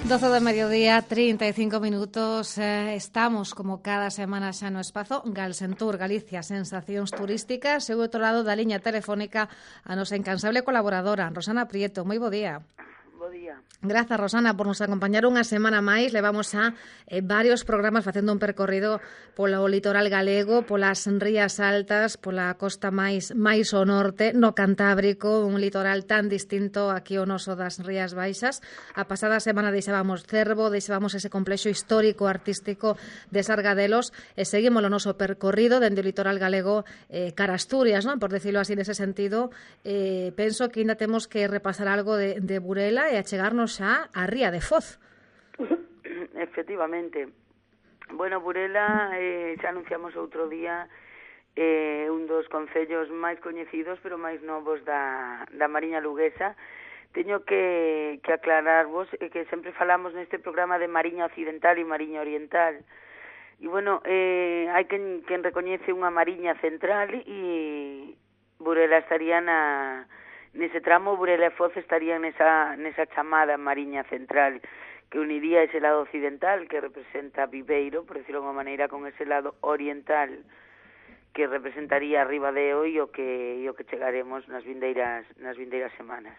12 do mediodía, 35 minutos. Estamos, como cada semana xa no espazo Galsentur, Galicia, sensacións turísticas. E ao outro lado da liña telefónica a nosa incansable colaboradora, Rosana Prieto. Moi bo día. Bo día. Grazas, Rosana, por nos acompañar unha semana máis. Levamos xa varios programas facendo un percorrido polo litoral galego, polas rías altas, pola costa máis ao norte, no Cantábrico, un litoral tan distinto aquí ao noso das Rías Baixas. A pasada semana deixábamos Cervo, deixábamos ese complexo histórico artístico de Sargadelos e seguimos o noso percorrido dende o litoral galego cara a Asturias, non? Por decirlo así, nese sentido, penso que ainda temos que repasar algo de Burela e achegarnos xa a Ría de Foz. Efectivamente. Bueno, Burela, xa anunciamos outro día, un dos concellos máis coñecidos, pero máis novos da Mariña Luguesa. Teño que aclararvos que sempre falamos neste programa de Mariña Occidental e Mariña Oriental. E, bueno, hai quen recoñece unha Mariña Central e Burela estaría nese tramo. Burela e Foz estarían nesa chamada Mariña Central, que uniría ese lado occidental, que representa Viveiro, por decirlo de unha maneira, con ese lado oriental, que representaría Ribadeo e o que chegaremos nas vindeiras semanas.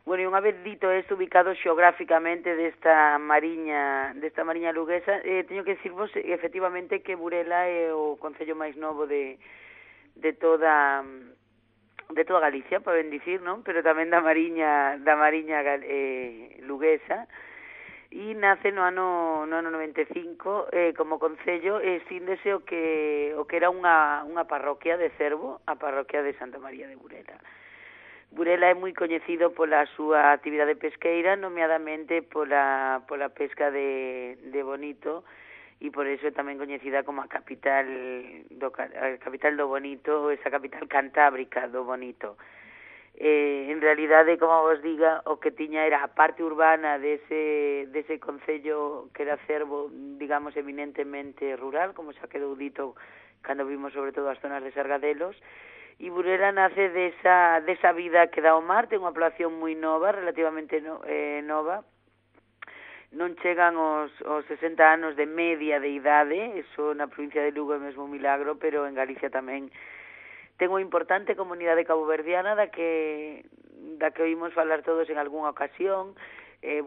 Bueno, e unha vez dito isto, ubicado xeográficamente desta mariña luguesa, teño que dicirvos efectivamente que Burela é o concello máis novo de toda Galicia, poden dicir, non? Pero tamén da mariña luguesa, e nace no ano 95 como concello, síndese o que era unha parroquia de Cervo, a parroquia de Santa María de Burela. Burela é moi coñecido pola súa actividade pesqueira, nomeadamente pola pesca de bonito, e por eso é tamén coñecida como a capital do bonito, esa capital cantábrica do bonito. En realidade, como vos diga, o que tiña era a parte urbana dese concello que era Cervo, digamos, eminentemente rural, como xa quedou dito cando vimos sobre todo as zonas de Sargadelos, e Burela nace desa vida que dá ao mar. Ten unha población moi nova, relativamente nova. Non chegan os 60 anos de media de idade, eso na provincia de Lugo é mesmo un milagro, pero en Galicia tamén ten unha importante comunidade caboverdiana da que oímos falar todos en algunha ocasión.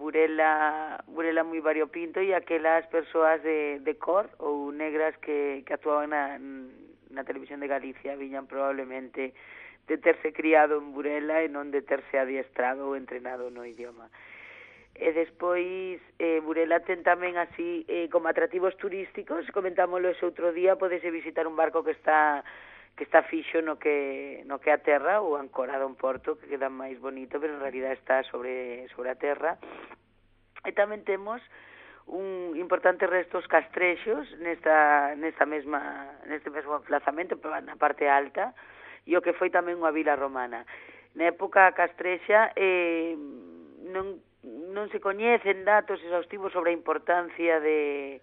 Burela moi variopinto, e aquelas persoas de cor ou negras que actuaban na televisión de Galicia viñan probablemente de terse criado en Burela e non de terse adiestrado ou entrenado no idioma. E despois Burela ten tamén así como atractivos turísticos. Comentámoslo ese outro día, podese visitar un barco que está fixo no que a terra, ou ancorado en porto, que queda máis bonito, pero en realidad está sobre a terra. E tamén temos un importante restos castrexos neste mesmo emplazamento, na parte alta, e o que foi tamén unha vila romana. Na época castrexa non se coñecen datos exhaustivos sobre a importancia de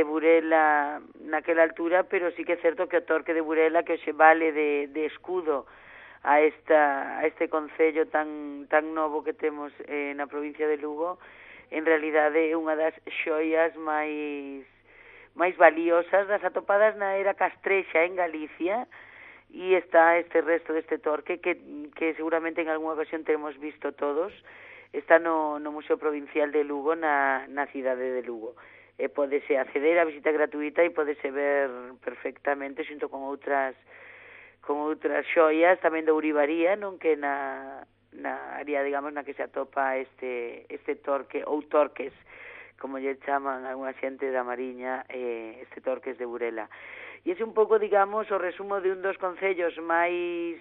Burela naquela altura, pero sí que é certo que o Torque de Burela, que hoxe vale de escudo a este concello tan novo que temos na provincia de Lugo, en realidade é unha das xoias máis valiosas das atopadas na era castrexa en Galicia, e está este resto deste torque que seguramente en algunha ocasión temos visto todos. Está no Museo Provincial de Lugo, na cidade de Lugo. Pódese acceder a visita gratuita e pódese ver perfectamente xunto con outras xoias tamén de Ourivaría, non, que na área, digamos, na que se atopa este torque, ou torques, como lle chaman algunha xente da Mariña, este Torques de Burela. E ese un pouco, digamos, o resumo de un dos concellos máis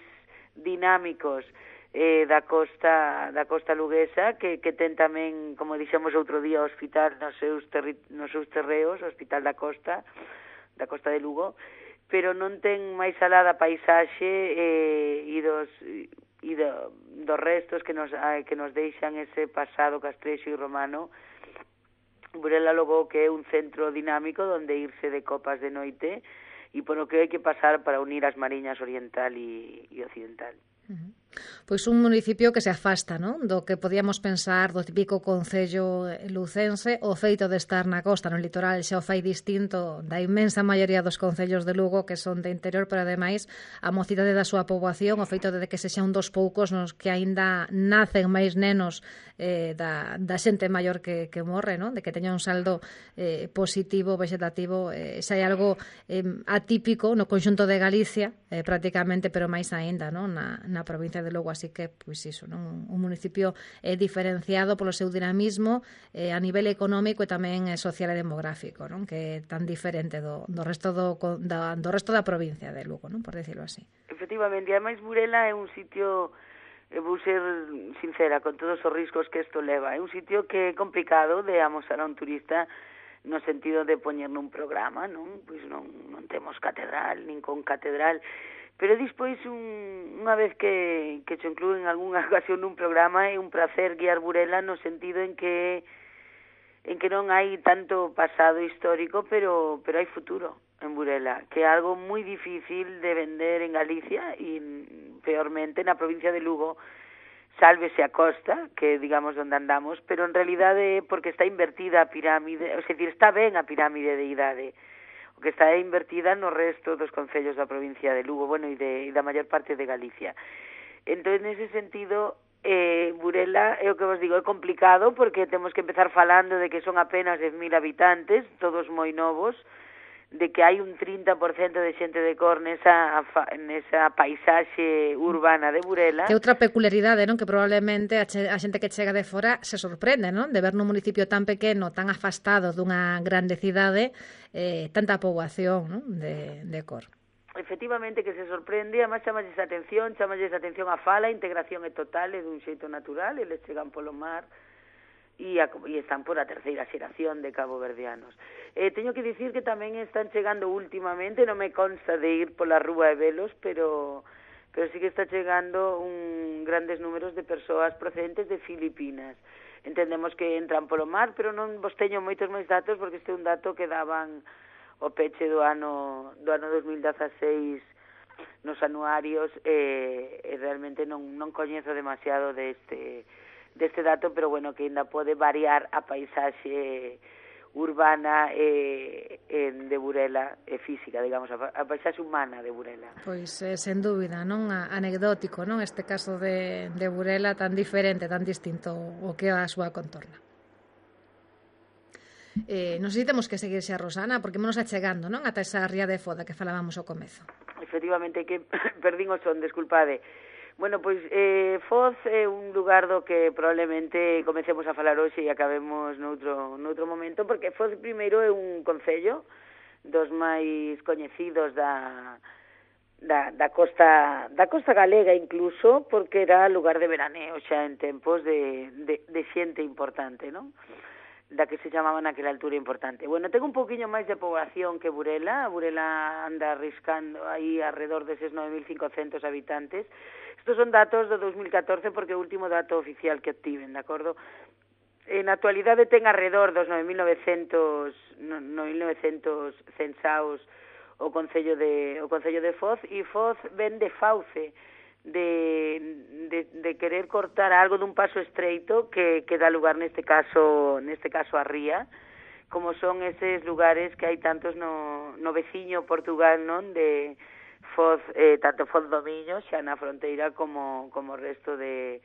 dinámicos da costa luguesa, que ten tamén, como dixemos outro día, o hospital nos seus terreos, o Hospital da Costa de Lugo, pero non ten máis alá da paisaxe e dos restos que nos deixan ese pasado castrexo e romano. Burela logo que é un centro dinámico onde irse de copas de noite, e por o que hai que pasar para unir as mariñas oriental e occidental. Pois un municipio que se afasta, non? Do que podíamos pensar do típico concello lucense, o feito de estar na costa, no litoral, xa o fai distinto da inmensa maioría dos concellos de Lugo que son de interior, pero ademais a mocidade da súa poboación, o feito de que se xa un dos poucos nos que aínda nacen máis nenos da xente maior que morre, non? De que teña un saldo positivo, vegetativo, xa hai algo atípico no conxunto de Galicia, prácticamente, pero máis aínda, non? Na provincia de Lugo, así que, pois iso, non? Un municipio diferenciado polo seu dinamismo a nivel económico e tamén social e demográfico, non? Que é tan diferente do resto da provincia de Lugo, non? Por decirlo así. Efectivamente, e ademais Burela é un sitio, vou ser sincera, con todos os riscos que isto leva, é un sitio que é complicado de amosar a un turista no sentido de poñer nun programa, non? Pois non temos catedral, nin con catedral, pero despois unha vez que se inclúe en algunha ocasión nun programa é un placer guiar Burela no sentido en que non hai tanto pasado histórico, pero hai futuro en Burela, que é algo moi difícil de vender en Galicia e peormente na provincia de Lugo, sálvese a costa, que digamos onde andamos, pero en realidade é porque está invertida a pirámide, ou seja, está ben a pirámide de idade, o que está invertida no resto dos concellos da provincia de Lugo, bueno, e da maior parte de Galicia. Entón, nese sentido, Burela, é o que vos digo, é complicado, porque temos que empezar falando de que son apenas 10.000 habitantes, todos moi novos, de que hai un 30% de xente de cor nesa paisaxe urbana de Burela. Que outra peculiaridade, non? Que probablemente a xente que chega de fora se sorprende, non? De ver nun municipio tan pequeno, tan afastado dunha grande cidade, tanta poboación, non? De cor. Efectivamente que se sorprende, además chamalles a atención a fala, a integración é total, é dun xeito natural, eles chegan polo mar, e están por a terceira xeración de caboverdianos. Teño que dicir que tamén están chegando últimamente, non me consta de ir pola rúa e velos, pero sí que está chegando grandes números de persoas procedentes de Filipinas. Entendemos que entran polo mar, pero non vos teño moitos máis datos, porque este é un dato que daban o peche do ano 2016 nos anuarios, e realmente non coñezo demasiado deste dato, pero bueno, que ainda pode variar a paisaxe urbana de Burela, física, digamos, a paisaxe humana de Burela. Pois, sen dúbida, non? Anecdótico, non? Este caso de Burela tan diferente, tan distinto o que é a súa contorna. Non sei se temos que seguir xa, Rosana, porque menos achegando, non? Ata esa ría de Foda que falábamos ao comezo. Efectivamente, que perdín o son, desculpade. Bueno, pois Foz é un lugar do que probablemente comecemos a falar hoxe e acabemos noutro momento, porque Foz primeiro é un concello dos máis coñecidos da costa galega incluso, porque era lugar de veraneo xa en tempos de xente importante, non? Da que se chamaba naquela altura importante. Bueno, ten un poquinho máis de poboación que Burela. Burela anda riscando aí alrededor deses 9.500 habitantes. Estos son datos do 2014 porque é o último dato oficial que obtiven, de acordo? Na actualidade ten alrededor dos 9.900 censaos o Concello de Foz, e Foz ven de fauce, de querer cortar algo dun paso estreito que dá lugar neste caso a ría, como son eses lugares que hai tantos no veciño Portugal, non? De Foz, tanto Foz do Miño, xa na fronteira, como o resto de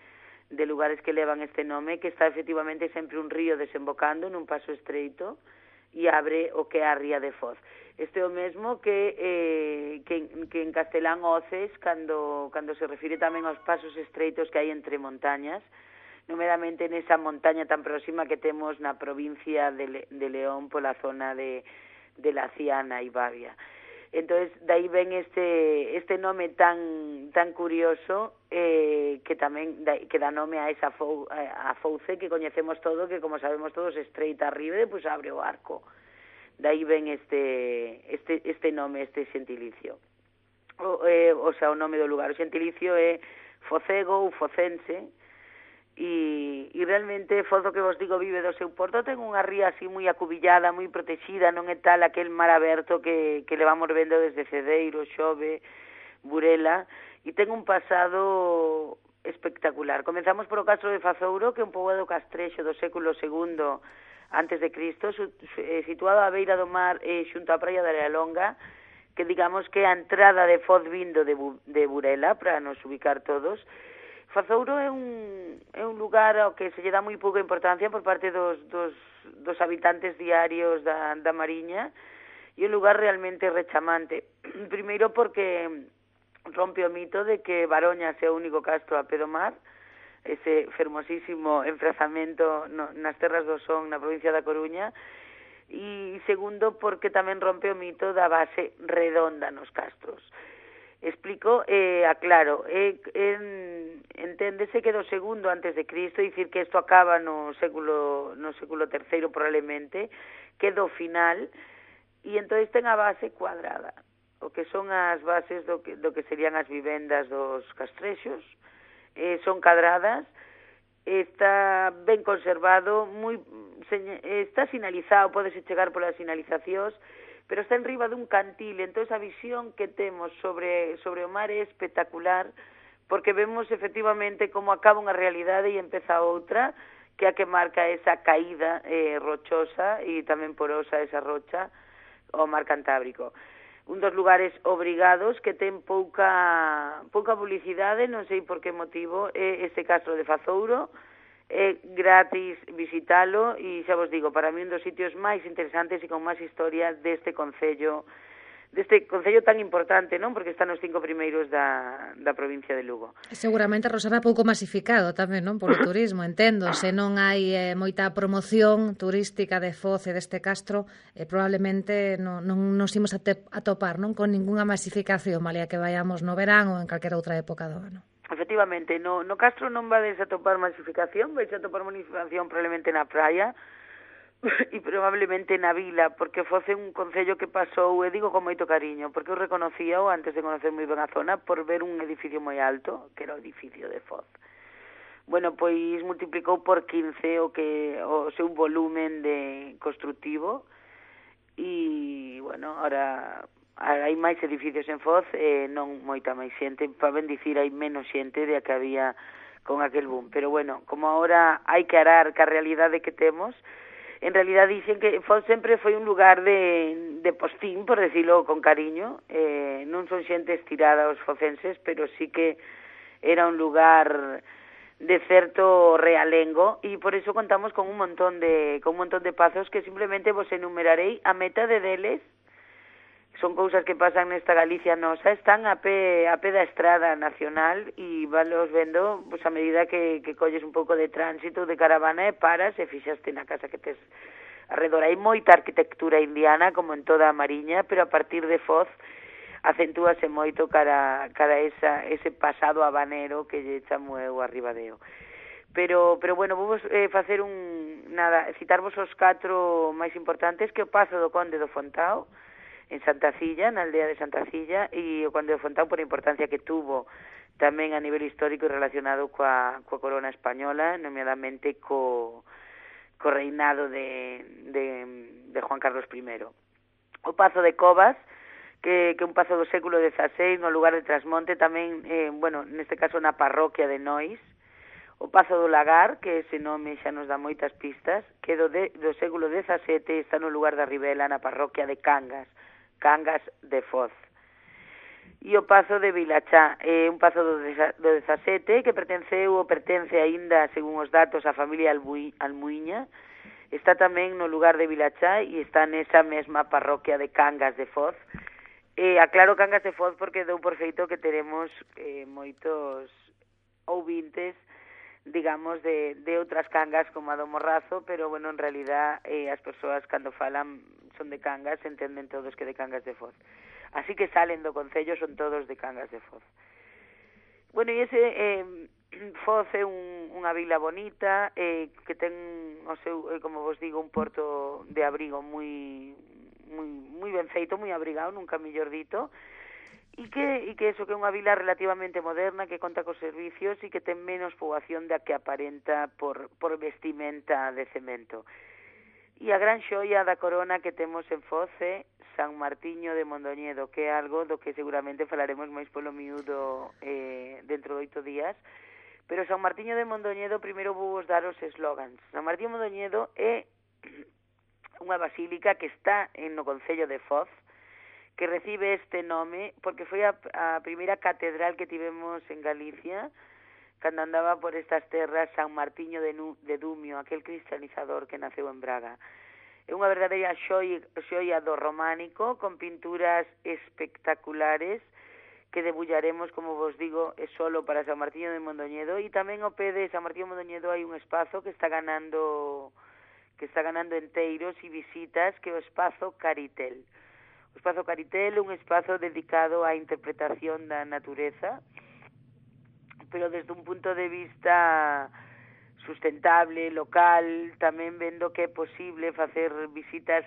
lugares que levan este nome, que está efectivamente sempre un río desembocando nun paso estreito e abre o que é a ría de Foz. Este é o mesmo que en castelán Oces, cando se refire tamén aos pasos estreitos que hai entre montañas, nomeadamente nesa montaña tan próxima que temos na provincia de León, pola zona de La Ciana e Bavia. Entonces, dai ven este nome tan curioso, que tamén que dá nome a esa fouce que coñecemos todo, que como sabemos todos estreita arriba e depois abre o arco. Dai ven este nome, este xentilicio. O sea, o nome do lugar. O xentilicio é focego ou focense, e realmente Foz, o que vos digo, vive do seu porto. Ten unha ría así moi acubillada, moi protexida, non é tal aquel mar aberto que levamos vendo desde Cedeiro, Xove, Burela, e ten un pasado espectacular. Comenzamos por o Castro de Fazouro, que é un poboado castrexo do século II antes de Cristo, situado á beira do mar xunto á praia de Arealonga, que digamos que é a entrada de Foz vindo de Burela, para nos ubicar todos. Fazouro é un lugar ao que se lle dá moi pouca importancia por parte dos habitantes diarios da Mariña, e un lugar realmente rechamante. Primeiro porque rompe o mito de que Baroñas é o único castro a pé do mar, ese fermosísimo emprazamento nas terras do Son, na provincia da Coruña, e segundo porque tamén rompe o mito da base redonda nos castros. Explico, aclaro, enténdese que do segundo antes de Cristo, dicir que isto acaba no século III probablemente, que do final, e entón ten a base cuadrada, o que son as bases do que serían as vivendas dos castrexos, son cadradas, está ben conservado, está sinalizado, podese chegar polas sinalizacións, pero está en riba dun cantil, entón a visión que temos sobre o mar é espectacular, porque vemos efectivamente como acaba unha realidade e empeza outra, que é a que marca esa caída rochosa e tamén porosa esa rocha ao mar Cantábrico. Un dos lugares obrigados que ten pouca publicidade, non sei por que motivo, é este Castro de Fazouro, é gratis visitalo e xa vos digo, para mí un dos sitios máis interesantes e con máis historia deste concello tan importante, non? Porque está nos 5 primeiros da provincia de Lugo. Seguramente, Rosana, pouco masificado tamén, non? Polo turismo, entendo. Se non hai moita promoción turística de Foz e deste castro, probablemente non nos imos atopar, non? Con ningunha masificación, malia que vayamos no verán ou en calquera outra época do ano. Efectivamente, no castro non vades a topar masificación, vais a topar masificación probablemente na praia, e probablemente na vila, porque Foz é un concello que pasou, e digo con moito cariño, porque eu reconocía antes de conocer moi ben a zona por ver un edificio moi alto, que era o edificio de Foz. Bueno, pois multiplicou por 15 o seu volumen de construtivo, e, bueno, ahora hai máis edificios en Foz, non moita máis xente, para ben dicir, hai menos xente de a que había con aquel boom, pero, bueno, como ahora hai que arar ca realidade que temos, en realidad dicen que Foz sempre foi un lugar de postín, por decirlo con cariño, non son xente estirada os focenses, pero sí que era un lugar de certo realengo, e por iso contamos con un montón de pazos que simplemente vos enumerarei. A metade deles son cousas que pasan nesta Galicia nosa, están a pé da estrada nacional e valos vendo pues, a medida que colles un pouco de tránsito, de caravana e paras e fixaste na casa que tes arredor. Hai moita arquitectura indiana, como en toda a Mariña, pero a partir de Foz acentúase moito cara ese pasado habanero que lle chamo eu arribadeo. Pero bueno, vou facer citarvos os 4 máis importantes, que o Pazo do Conde do Fontao, en Santa Cilla, na aldea de Santa Cilla, e o Conde de Fontao por a importancia que tuvo tamén a nivel histórico e relacionado coa corona española, nomeadamente co reinado de Juan Carlos I. O Pazo de Covas, que é un pazo do século XVI, no lugar de Trasmonte, tamén, neste caso na parroquia de Nois. O Pazo do Lagar, que ese nome xa nos dá moitas pistas, que do século XVII, está no lugar da Ribela, na parroquia de Cangas de Foz. E o Pazo de Vilachá, un pazo do XVII que pertence aínda, según os datos, á familia Almuiña. Está tamén no lugar de Vilachá e está nesa mesma parroquia de Cangas de Foz. Aclaro Cangas de Foz porque dou por feito que teremos moitos ouvintes, digamos, de outras cangas como a do Morrazo, pero, bueno, en realidad as persoas cando falan son de Cangas, entenden todos que de Cangas de Foz. Así que salen do concello, son todos de Cangas de Foz. Bueno, e ese Foz é unha vila bonita, que ten o seu, como vos digo, un porto de abrigo moi ben feito, moi abrigado, nunca mellor dito, e que eso que é unha vila relativamente moderna, que conta cos servicios e que ten menos poboación da que aparenta por vestimenta de cemento. E a gran xoia da corona que temos en Foz é San Martiño de Mondoñedo, que é algo do que seguramente falaremos máis polo miúdo dentro de 8 días, Pero San Martiño de Mondoñedo, primeiro vou vos dar os eslogans. San Martiño de Mondoñedo é unha basílica que está no concello de Foz, que recibe este nome porque foi a primeira catedral que tivemos en Galicia cando andaba por estas terras San Martiño de Dumio, aquel cristianizador que naceu en Braga. É unha verdadeira xoia do románico, con pinturas espectaculares que debullaremos, como vos digo, é solo para San Martiño de Mondoñedo, e tamén ao pé de San Martiño de Mondoñedo hai un espazo que está ganando enteiros e visitas, que é o espazo Caritel. O espazo Caritel é un espazo dedicado á interpretación da natureza, pero desde un punto de vista sustentable, local, tamén vendo que é posible facer visitas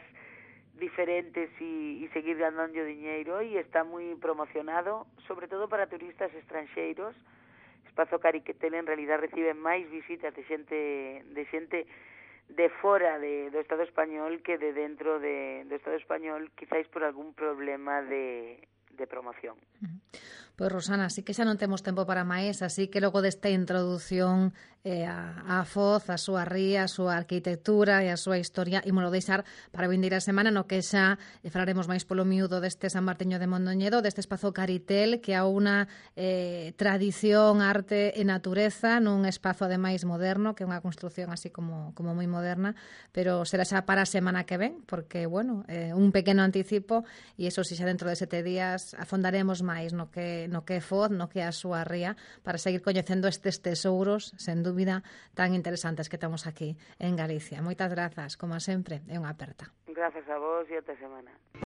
diferentes e seguir ganando diñeiro, e está moi promocionado, sobre todo para turistas estranxeiros. Espazo Caritel en realidad recibe máis visitas de xente de fora do Estado español que de dentro do Estado español, quizáis por algún problema de promoción. Pois Rosana, así que xa non temos tempo para máis, así que logo desta introducción a Foz, a súa ría, a súa arquitectura e a súa historia, ímolo deixar para vindeira semana, no que xa falaremos máis polo miúdo deste San Martiño de Mondoñedo, deste espazo Caritel, que a unha tradición, arte e natureza nun espazo ademais moderno, que é unha construción así como moi moderna, pero será xa para a semana que ven, porque, bueno, un pequeno anticipo, e iso si xa dentro de 7 días afondaremos máis no que é Foz, no que é a súa ría, para seguir coñecendo estes tesouros, sen dúbida, tan interesantes que temos aquí en Galicia. Moitas grazas, como sempre, é unha aperta. Grazas a vos e ata semana.